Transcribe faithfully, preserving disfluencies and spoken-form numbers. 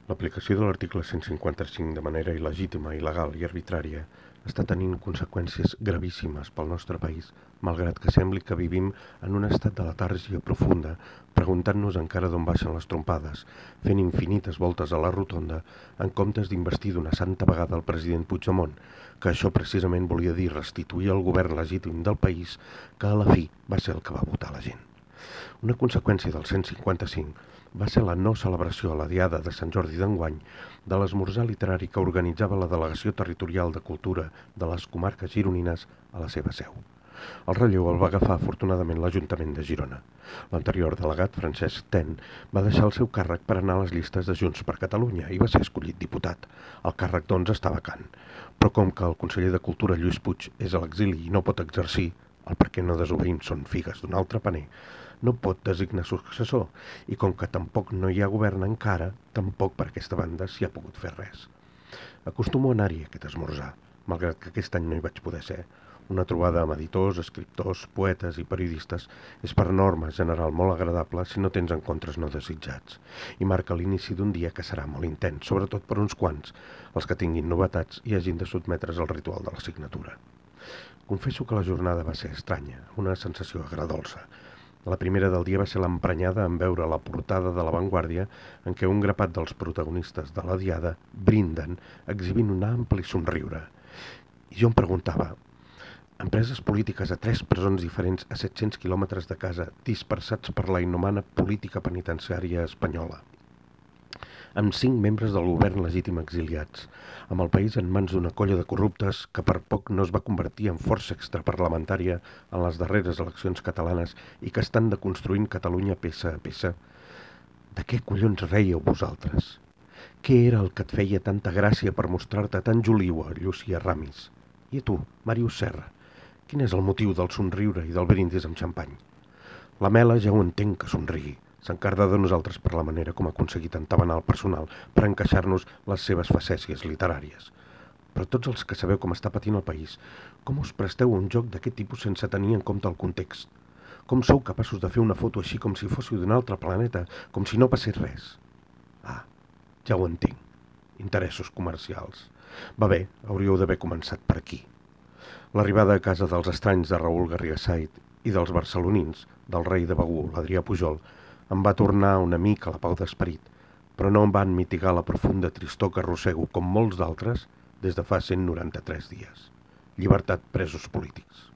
L'aplicació de l'article cent cinquanta-cinc de manera il·legítima, il·legal i arbitrària està tenint conseqüències gravíssimes pel nostre país, malgrat que sembli que vivim en un estat de letàrgia profunda, preguntant-nos encara d'on baixen les trompades, fent infinites voltes a la rotonda en comptes d'investir d'una santa vegada el president Puigdemont, que això precisament volia dir restituir el govern legítim del país que a la fi va ser el que va votar la gent. Una conseqüència del cent cinquanta-cinc va ser la no celebració a la Diada de Sant Jordi d'enguany de l'esmorzar literari que organitzava la Delegació Territorial de Cultura de les comarques gironines a la seva seu. El relleu el va agafar afortunadament l'Ajuntament de Girona. L'anterior delegat, Francesc Ten, va deixar el seu càrrec per anar a les llistes de Junts per Catalunya i va ser escollit diputat. El càrrec, doncs, està vacant. Però com que el conseller de Cultura, Lluís Puig, és a l'exili i no pot exercir, el perquè no desobeïm són figues d'un altre paner, no pot designar successor, i com que tampoc no hi ha govern encara, tampoc per aquesta banda s'hi ha pogut fer res. Acostumo a anar-hi aquest esmorzar, malgrat que aquest any no hi vaig poder ser. Una trobada amb editors, escriptors, poetes i periodistes és per norma general molt agradable si no tens encontres no desitjats, i marca l'inici d'un dia que serà molt intens, sobretot per uns quants, els que tinguin novetats i hagin de sotmetre's al ritual de la signatura. Confesso que la jornada va ser estranya, una sensació agradolça. La primera del dia va ser l'emprenyada en veure la portada de La Vanguardia en què un grapat dels protagonistes de la Diada brinden exhibint un ampli somriure. I jo em preguntava, empreses polítiques a tres presons diferents a set-cents quilòmetres de casa, dispersats per la inhumana política penitenciària espanyola, amb cinc membres del govern legítim exiliats, amb el país en mans d'una colla de corruptes que per poc no es va convertir en força extraparlamentària en les darreres eleccions catalanes i que estan deconstruint Catalunya peça a peça. De què collons reieu vosaltres? Què era el que et feia tanta gràcia per mostrar-te tan joliua, Llucia Ramis? I a tu, Màrius Serra, quin és el motiu del somriure i del brindis amb xampany? La Mela ja ho entenc que somrigui. S'encarda de nosaltres per la manera com ha aconseguit entabanar el personal per encaixar-nos les seves facècies literàries. Però tots els que sabeu com està patint el país, com us presteu a un joc d'aquest tipus sense tenir en compte el context? Com sou capaços de fer una foto així com si fóssiu d'un altre planeta, com si no passés res? Ah, ja ho entenc. Interessos comercials. Va bé, hauríeu d'haver començat per aquí. L'arribada a casa dels estranys de Raül Garrigasait i dels barcelonins, del rei de Begur, l'Adrià Pujol, em va tornar una mica la pau d'esperit, però no em van mitigar la profunda tristor que arrossego, com molts d'altres, des de fa cent noranta-tres dies. Llibertat presos polítics.